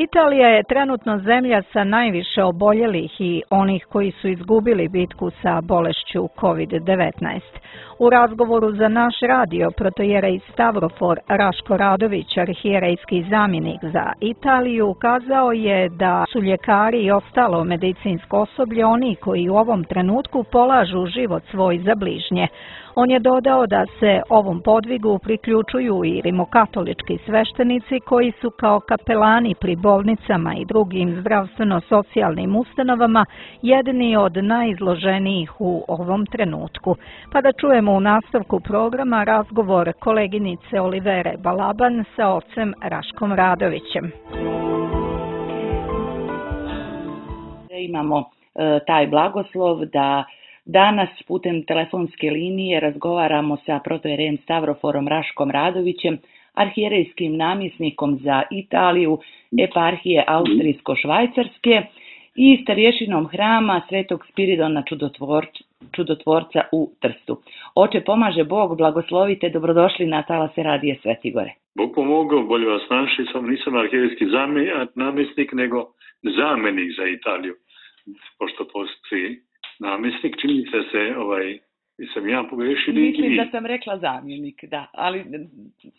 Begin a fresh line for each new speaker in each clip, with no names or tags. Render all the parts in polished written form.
Italija je trenutno zemlja sa najviše oboljelih i onih koji su izgubili bitku sa bolešću COVID-19. U razgovoru za naš radio protojerej Stavrofor Raško Radović, arhijerejski zamjenik za Italiju, ukazao je da su ljekari i ostalo medicinsko osoblje oni koji u ovom trenutku polažu život svoj za bližnje. On je dodao da se ovom podvigu priključuju i rimokatolički sveštenici koji su kao kapelani pri bolnicama i drugim zdravstveno-socijalnim ustanovama jedni od najizloženijih u ovom trenutku. Pa da čujemo u nastavku programa razgovor koleginice Olivere Balaban sa ocem Raškom Radovićem.
Imamo taj blagoslov da danas putem telefonske linije razgovaramo sa protojerejem Stavroforom Raškom Radovićem, arhijerejskim namjesnikom za Italiju, eparhije Austrijsko-Švajcarske i starješinom hrama Svetog Spiridona Čudotvorca u Trstu. Oče, pomaže Bog, blagoslovite, dobrodošli na talase radije Svetigore.
Bog pomogao, bolje vas našli, sam nisam arhijerejski namjesnik, nego zamjenik za Italiju, pošto postoji namjesnik, čini se sam ja pogrešio.
Mislim da sam rekla zamjenik, da, ali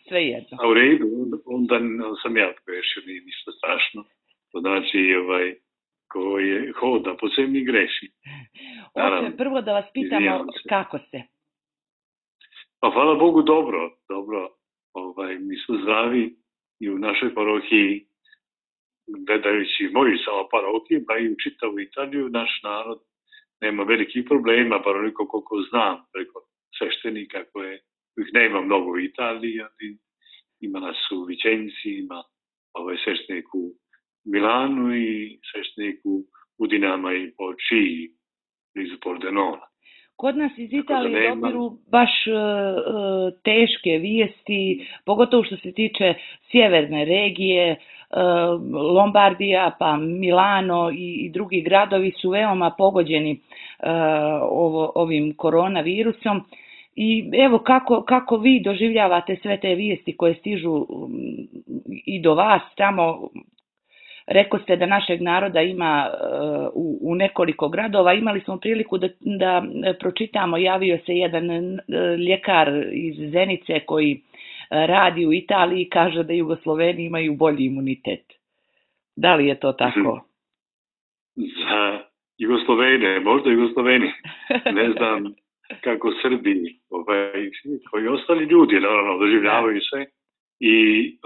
sve jedno.
A u redu, onda sam ja pogrešio, nije ništa strašno. To znači, ko je hoda po zemlji greši.
Oče, prvo da vas pitamo kako ste?
Pa hvala Bogu, dobro. Mi smo zdravi i u našoj parohiji, gledajući moju samo parohiju, pa i u čitavu Italiju, naš narod nema velikih problema, bar onoliko koliko znam preko sveštenika kojih nema mnogo u Italiji, ali ima nas u Vicenci, ima sveštenik u Milanu i sveštenik u Udinama i Počiji, blizu Pordenona.
Kod nas iz Italije dobiru baš teške vijesti, pogotovo što se tiče sjeverne regije, Lombardija, pa Milano i drugi gradovi su veoma pogođeni ovim koronavirusom. I evo kako vi doživljavate sve te vijesti koje stižu i do vas tamo. Rekao ste da našeg naroda ima u nekoliko gradova. Imali smo priliku da pročitamo, javio se jedan ljekar iz Zenice koji radi u Italiji i kaže da Jugosloveni imaju bolji imunitet. Da li je to tako?
Za Jugoslovene, možda Jugosloveni. Ne znam kako Srbi, koji ostali ljudi, naravno, doživljavaju se i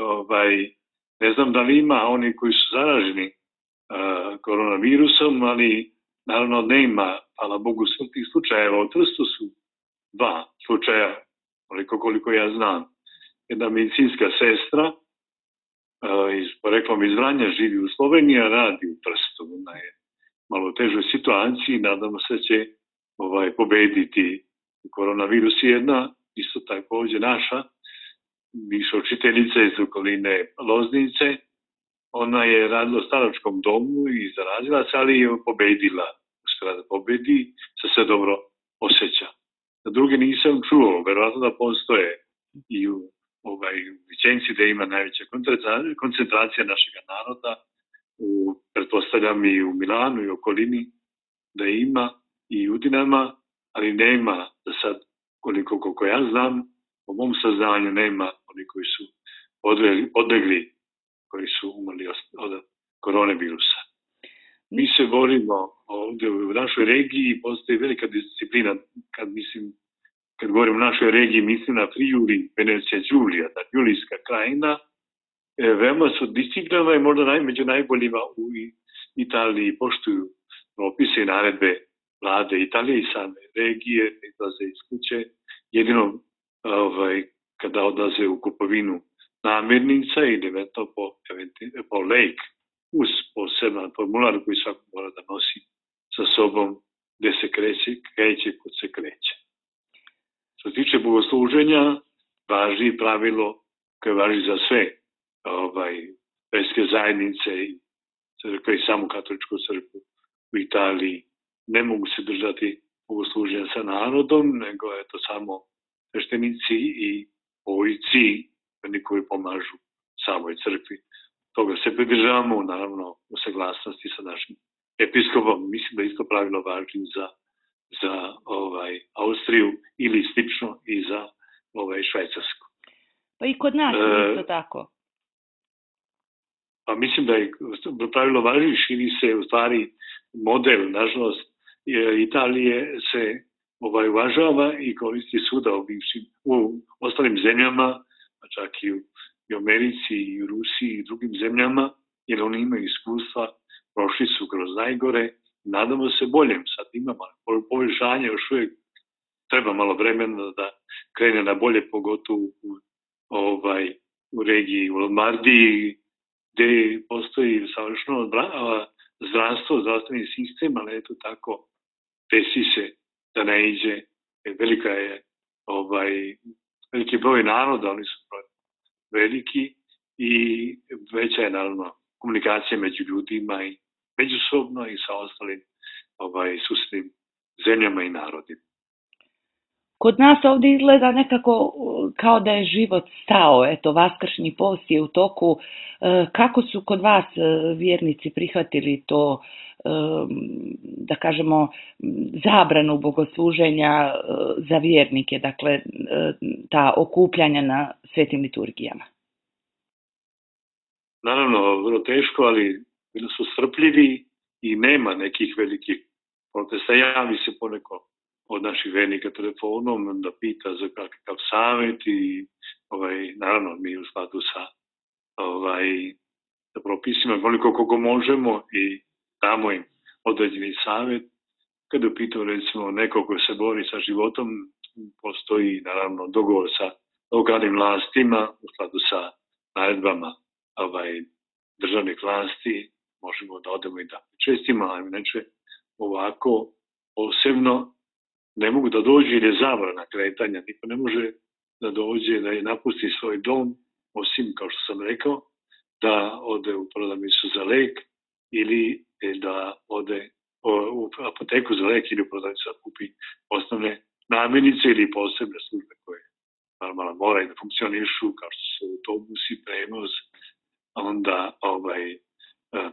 ne znam da li ima oni koji su zaraženi koronavirusom, ali naravno nema, hvala Bogu, smrtnih slučajeva. U Trstu su 2 slučaja, koliko ja znam. Jedna medicinska sestra iz poreklom iz Vranja živi u Sloveniji, a radi u Trstu. Ona je malo u težoj situaciji, nadamo se će pobediti koronavirus. Jedna, isto također naša, bivša učiteljica iz okoline Loznice, ona je radila u staračkom domu i zarazila se, ali je pobedila. Uspjela da pobedi, se dobro osjeća. Na druge nisam čuo, verovatno da postoje i u Vicenci gde ima najveća koncentracija našeg naroda, pretpostavljam i u Milanu i okolini da ima i u Udinama, ali nema da sad, koliko ja znam, po mom saznanju nema oni koji su odlegli, koji su umrli od koronavirusa. Mi se borimo ovdje u našoj regiji, postoji velika disciplina, kad govorim o našoj regiji, mislim na Friuli, Venecija, Đulija, Julijska krajina, veoma su disciplinovani i možda među najboljima u Italiji poštuju propise i naredbe vlade Italije i same regije, izlaze iz kuće, jedino kada odlaze u kupovinu namirnica ili eventualno po lek uz poseban formular koji svako mora da nosi sa sobom gde se kreće, kod se kreće. Što se tiče bogosluženja, važi pravilo koje važi za sve verske zajednice i crkve i samu katoličku crkvu u Italiji. Ne mogu se držati bogosluženja sa narodom, nego je to samo sveštenici i ojci, oni koji pomažu samoj crkvi. toga se pridržavamo, naravno u saglasnosti sa našim episkopom. Mislim da isto pravilo važi za Austriju ili slično i za Švajcarsku.
Pa i kod nas isto tako.
Pa mislim da je pravilo važi, širi se u stvari model, nažalost, Italije se uvažava i koristi svuda u ostalim zemljama, čak i u Americi, i u Rusiji i drugim zemljama, jer oni imaju iskustva, prošli su kroz najgore, nadamo se boljem, sad imamo poboljšanje, još uvijek treba malo vremena da krene na bolje, pogotovo u regiji, u Lombardiji, gde postoji savršeno zdravstveni sistem, ali eto tako, desi se da ne iđe, veliki broj naroda, oni su veliki i veća je naravno komunikacija među ljudima i međusobno i sa ostalim susednim zemljama i narodima.
Kod nas ovdje izgleda nekako kao da je život stao, eto, vaskršnji post je u toku. Kako su kod vas vjernici prihvatili to, da kažemo, zabranu bogosluženja za vjernike, dakle, ta okupljanja na svetim liturgijama?
Naravno, vrlo teško, ali bili su strpljivi i nema nekih velikih protesta. Javi se poneko od naših vernika telefonom da pita za kakav savjet i naravno mi u skladu sa propisima koliko možemo i damo im određeni savjet. Kada je pitao recimo neko ko se bori sa životom, postoji naravno dogovor sa lokalnim vlastima u skladu sa naredbama državnih vlasti, možemo da odemo i da čestimo, ali inače ovako posebno ne mogu da dođe jer je zabrana kretanja. Niko ne može da dođe, da je napusti svoj dom, osim, kao što sam rekao, da ode u prodavnicu za lek ili da ode u apoteku za lek ili u prodavnicu da kupi osnovne namirnice ili posebne službe koje normalno moraju da funkcionišu, kao što su autobusi, prevoz, onda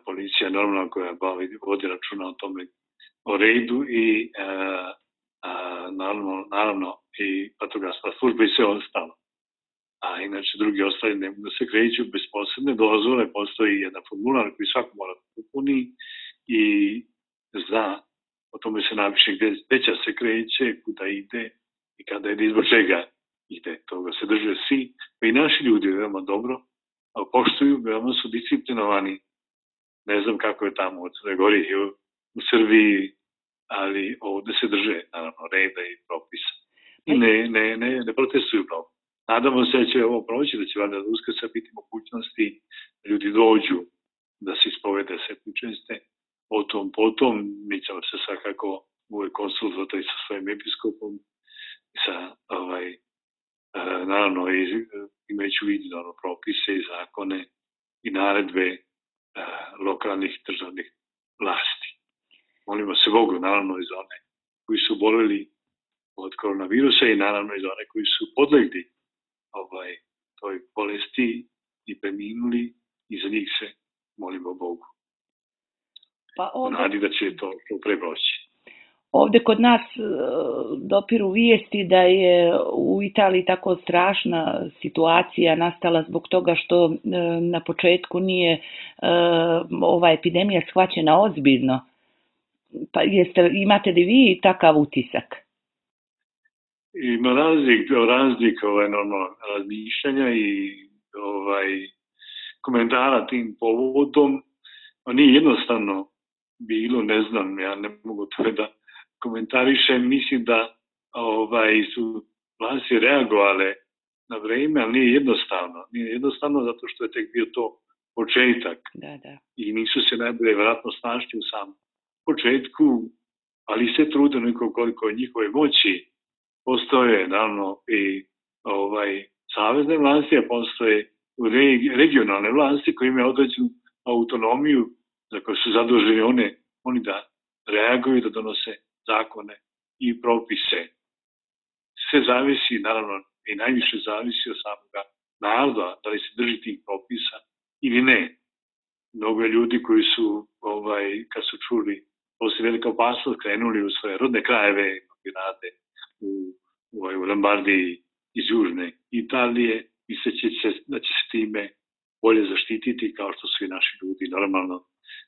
policija normalno koja vodi računa o tome, o redu i naravno i vatrogasna služba i sve ostalo. A inače drugi ostali ne mogu da se kreću bez posebne dozvole, postoji jedan formular koji svako mora da upuni i zna, o tome se napiše gde će se kreće, kuda ide i kada ide, izbog čega ide. Toga se drže svi, pa i naši ljudi veoma dobro poštuju, veoma su disciplinovani. Ne znam kako je tamo u Crnoj Gori i u Srbiji, ali ovde se drže naravno reda i propisa. I ne protestuju mnogo. Nadamo se da će ovo proći, da će valjda do Uskrsa biti mogućnosti da ljudi dođu da se ispovede setničeste. Potom mi ćemo se svakako uvek konsultovati sa svojim episkopom i sa naravno imajući u vidu propise i zakone i naredbe lokalnih državnih vlasti. Molimo se Bogu, naravno i za one koji su boleli od koronavirusa i naravno i za one koji su podlegli toj bolesti i preminuli i za njih se molimo Bogu. Nadi da će to preproći.
Ovde kod nas dopiru vijesti da je u Italiji tako strašna situacija nastala zbog toga što na početku nije ova epidemija shvaćena ozbiljno. Pa imate li vi takav utisak?
Ima razlik razmišljanja i komentara tim povodom. Nije jednostavno bilo, ne znam, ja ne mogu to da komentarišem. Mislim da su vlasti reagovale na vreme, ali nije jednostavno. Nije jednostavno zato što je tek bio to početak.
Da.
I nisu se najbolje vjerojatno snašli u samom početku, ali se trude koliko njihove moći. Postoje naravno i savezne vlasti, a postoje regionalne vlasti koje imaju određenu autonomiju za koje su zaduženi oni da reaguju, da donose zakone i propise. Sve zavisi, naravno, i najviše zavisi od samoga naroda, da li se drži tih propisa ili ne. mnogo je ljudi koji su, kad su čuli poslije velika opasnost, krenuli u svoje rodne krajeve, mnogi rade u Lombardiji iz južne Italije, misleći da će se time bolje zaštititi, kao što su i naši ljudi normalno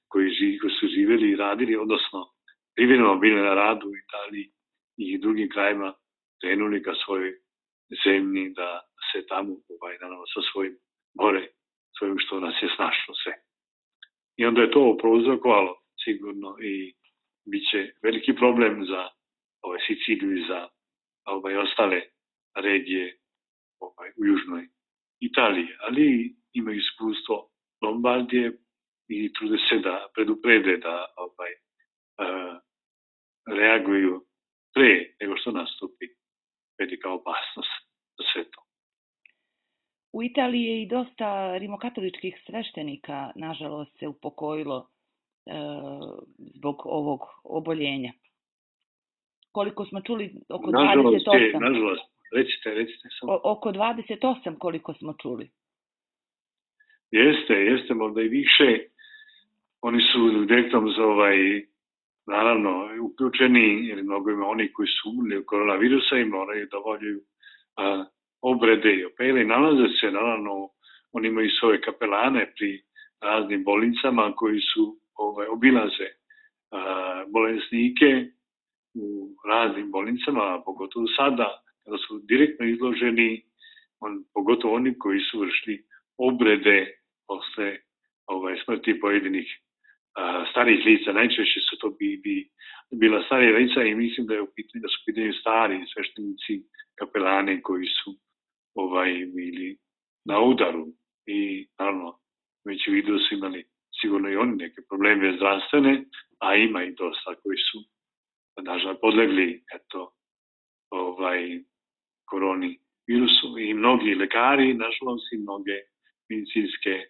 koji su živjeli i radili, odnosno privremeno bili na radu u Italiji i drugim krajima, krenuli ka svojoj zemlji da se tamo, naravno sa svojim gore, svojim što nas je snašlo sve. I onda je to prouzrokovalo sigurno i bit će veliki problem za Siciliju i za ostale regije u južnoj Italiji, ali imaju iskustvo Lombardije i trude se da preduprede, da reaguju pre nego što nastupi velika opasnost za sve to.
U Italiji je i dosta rimokatoličkih sveštenika, nažalost, se upokojilo zbog ovog oboljenja. Koliko smo čuli, oko 28.
Nažalost, recite samo.
Oko 28 koliko smo čuli.
Jeste, možda i više. Oni su direktno naravno uključeni, jer mnogo ima oni koji su umrli od koronavirusa i moraju da obavljaju obrede i opere. Nalaze se, naravno, oni imaju svoje kapelane pri raznim bolnicama koji su obilaze bolesnike u raznim bolnicama, pogotovo sada, kada su direktno izloženi, pogotovo oni koji su vršili obrede posle smrti pojedinih starih lica. Najčešće su to bila starija lica i mislim da su u pitanju stari sveštenici, kapelani koji su bili na udaru i naravno već u vidu su imali sigurno i oni neke probleme zdravstvene, a ima i dosta koji su nažalost podlegli koroni virusu i mnogi lekari, nažalost, i mnoge medicinske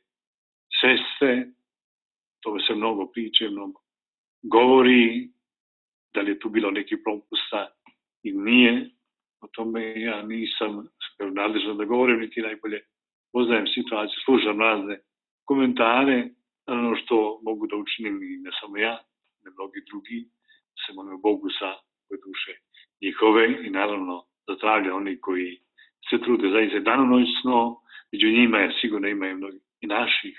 sestre. To se mnogo priče, mnogo govori, da li je tu bilo neki propusta i nije. O tome ja nisam nadležan da govorim, niti najbolje poznajem situaciju, slušam razne komentare, ono što mogu da učinim i ne samo ja, ne mnogi drugi, se molim Bogu za duše njihove i naravno za zdravlje oni koji se trude zaista danonoćno, među njima je sigurno ima i mnogi i naših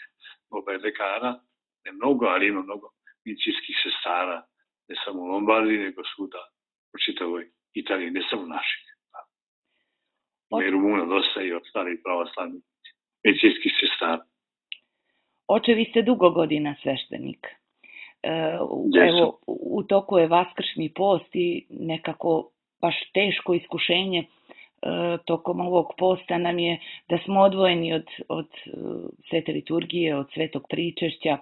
lekara, ne mnogo, ali ima mnogo medicinskih sestara, ne samo u Lombardiji, nego svuda u čitavoj Italiji, ne samo naših. Ima i Rumuna dosta i ostalih pravoslavnih medicinskih sestara.
Oče, vi ste dugo godina sveštenik. Evo, u toku je Vaskršnji post i nekako baš teško iskušenje tokom ovog posta nam je da smo odvojeni od svete liturgije, od svetog pričešća.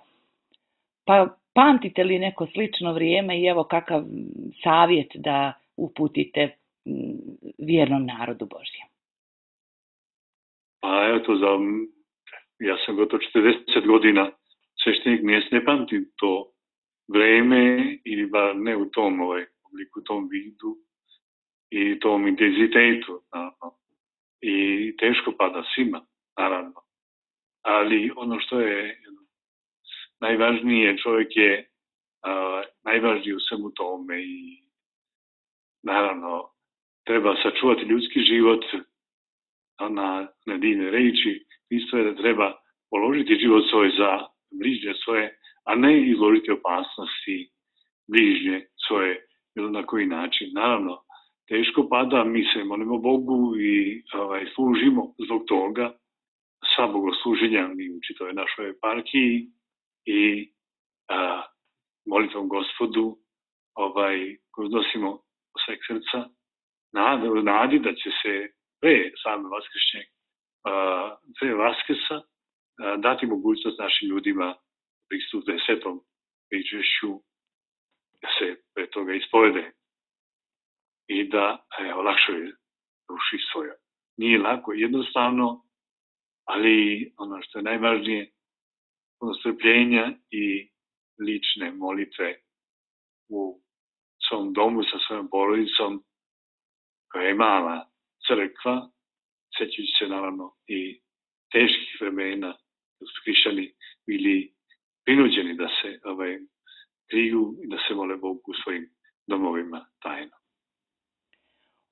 Pa pamtite li neko slično vrijeme i evo kakav savjet da uputite vjernom narodu Božjem?
Pa evo to ja sam gotovo 40 godina sveštenik, ne pamtim to vreme ili bar ne u tom obliku, tom vidu i tom intenzitetu. Naravno. I teško pada svima, naravno. Ali ono što je najvažnije, čovjek je najvažniji u svemu tome i naravno treba sačuvati ljudski život na divne reči. Isto je da treba položiti život svoj za bližnje svoje, a ne izložiti opasnosti bližnje svoje bilo na koji način. Naravno, teško pada, mi se molimo Bogu i služimo zbog toga sva bogosluženja mi u čitavoj našoj eparhiji i molitvom Gospodu koju nosimo sveg srca, nadi da će se pre same Vaskrsa dati mogućnost našim ljudima pristupe svetom pričešću, da se pre toga ispovede i da olakšaju duši svoje. Nije lako, jednostavno, ali ono što je najvažnije, puno strpljenja i lične molitve u svom domu sa svojom porodicom, koja je mala crkva, sećajući se naravno i teških vremena, da su hrišćani bili prinuđeni da se kriju i da se mole Bogu u svojim domovima tajno.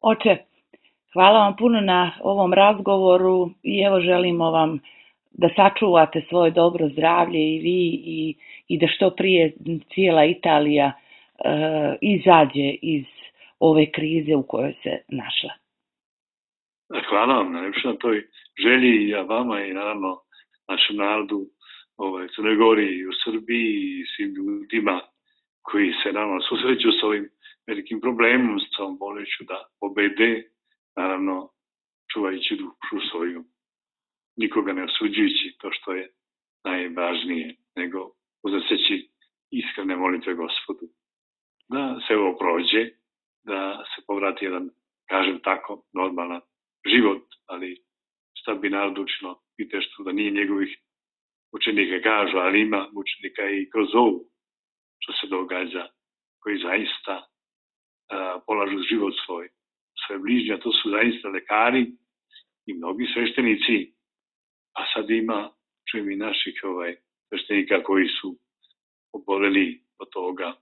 Oče, hvala vam puno na ovom razgovoru i evo želimo vam da sačuvate svoje dobro zdravlje i vi i da što prije cijela Italija izađe iz ove krize u kojoj se našla.
Hvala vam najlepše na toj želji i ja vama i naravno našem narodu u Crnoj Gori i u Srbiji i svim ljudima koji se naravno susreću s ovim velikim problemom, s ovom bolešću da pobede, naravno čuvajući dušu svoju, nikoga ne osuđujući, to što je najvažnije, nego uznoseći iskrene molitve Gospodu. Da se ovo prođe, da se povrati jedan, kažem tako, normalan život, ali šta bi narod učilo, vidite što da nije njegovih učenika kažu, ali ima učenika i kroz ovu što se događa, koji zaista polažu život svoj bližnji, a to su zaista lekari i mnogi sveštenici, a sad ima, čujem i naših sveštenika koji su oboleli od toga,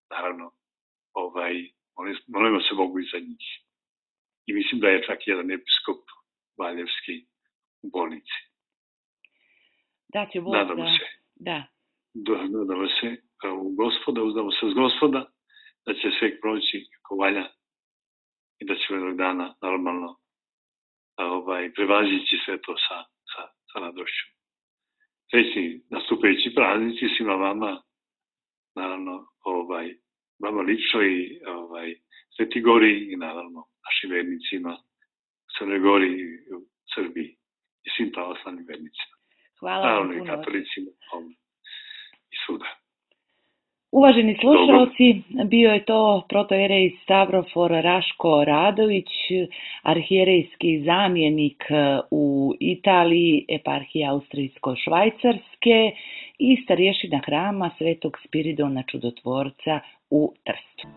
naravno, molimo se Bogu i za njih. I mislim da je čak jedan episkop valjevski u bolnici.
Da će Bog
nadamo se.
Da.
Nadamo se u Gospoda, uzdamo se uz Gospoda, da će sve proći kako valja i da ćemo jednog dana normalno prevazići sve to sa radošću. Srećni nastupajući praznici svima vama, naravno, vama lično i Sveti Gori i naravno našim vernicima u Crnoj Gori i u Srbiji i svim pravoslavnim vernicima.
Hvala vam puno.
Naravno i katolicima i svuda.
Uvaženi slušalci, bio je to protoijerej Stavrofor Raško Radović, arhijerejski zamjenik u Italiji, eparhije Austrijsko-Švajcarske i starješina hrama Svetog Spiridona Čudotvorca u Trstu.